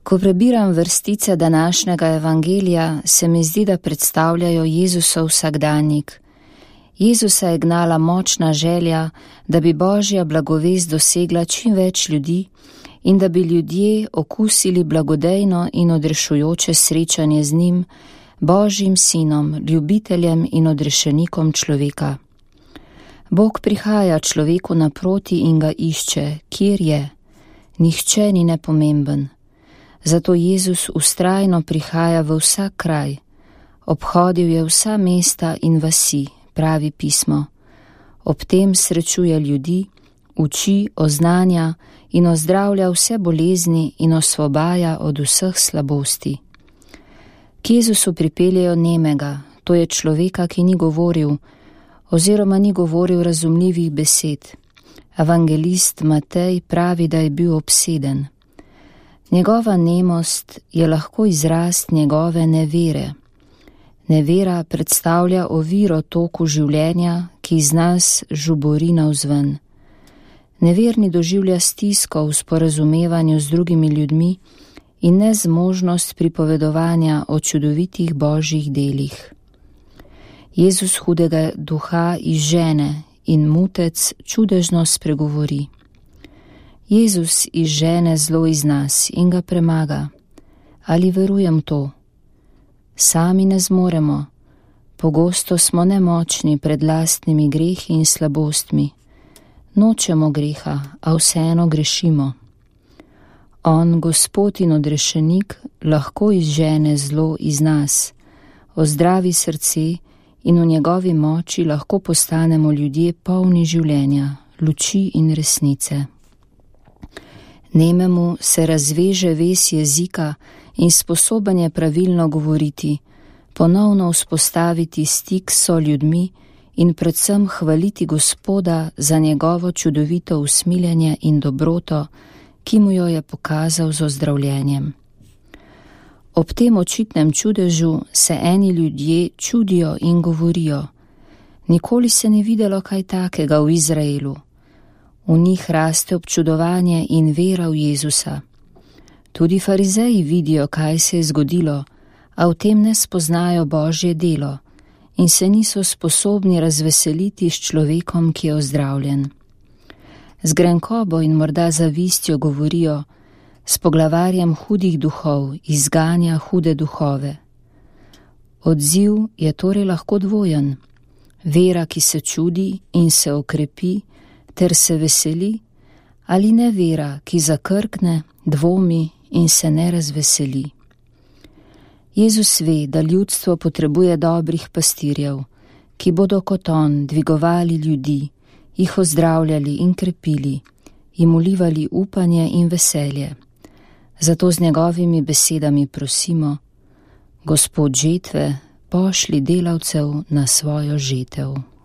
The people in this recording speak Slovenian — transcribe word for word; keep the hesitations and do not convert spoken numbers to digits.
Ko prebiram vrstice današnjega evangelija, se mi zdi, da predstavljajo Jezusov vsakdanjik. Jezusa je gnala močna želja, da bi Božja blagovest dosegla čim več ljudi in da bi ljudje okusili blagodejno in odrešujoče srečanje z njim, Božjim sinom, ljubiteljem in odrešenikom človeka. Bog prihaja človeku naproti in ga išče, kjer je. Nihče ni nepomemben. Zato Jezus vztrajno prihaja v vsak kraj. Obhodil je vsa mesta in vasi, pravi pismo. Ob tem srečuje ljudi, uči, oznanja in ozdravlja vse bolezni in osvobaja od vseh slabosti. K Jezusu pripeljejo nemega, to je človeka, ki ni govoril, oziroma ni govoril razumljivih besed. Evangelist Matej pravi, da je bil obseden. Njegova nemost je lahko izraz njegove nevere. Nevera predstavlja oviro toku življenja, ki iz nas žubori navzven. Neverni doživlja stisko v sporazumevanju z drugimi ljudmi in nezmožnost pripovedovanja o čudovitih Božjih delih. Jezus hudega duha izžene in mutec čudežno spregovori. Jezus izžene zlo iz nas in ga premaga. Ali verujem to? Sami ne zmoremo. Pogosto smo nemočni pred lastnimi grehi in slabostmi. Nočemo greha, a vseeno grešimo. On, Gospod in odrešenik, lahko izžene zlo iz nas, ozdravi srce in v njegovi moči lahko postanemo ljudje polni življenja, luči in resnice. Nememu se razveže ves jezika in sposoben je pravilno govoriti, ponovno vzpostaviti stik s soljudmi in predvsem hvaliti Gospoda za njegovo čudovito usmiljenje in dobroto, ki mu jo je pokazal z ozdravljenjem. Ob tem očitnem čudežu se eni ljudje čudijo in govorijo: nikoli se ni videlo kaj takega v Izraelu. V njih raste občudovanje in vera v Jezusa. Tudi farizeji vidijo, kaj se je zgodilo, a v tem ne spoznajo Božje delo in se niso sposobni razveseliti s človekom, ki je ozdravljen. Z grenkobo in morda zavistjo govorijo: s poglavarjem hudih duhov izganja hude duhove. Odziv je torej lahko dvojen. Vera, ki se čudi in se okrepi ter se veseli, ali nevera, ki zakrkne, dvomi in se ne razveseli. Jezus ve, da ljudstvo potrebuje dobrih pastirjev, ki bodo kot on dvigovali ljudi, jih ozdravljali in krepili, jim ulivali upanje in veselje. Zato z njegovimi besedami prosimo: Gospod žetve, pošli delavcev na svojo žetev.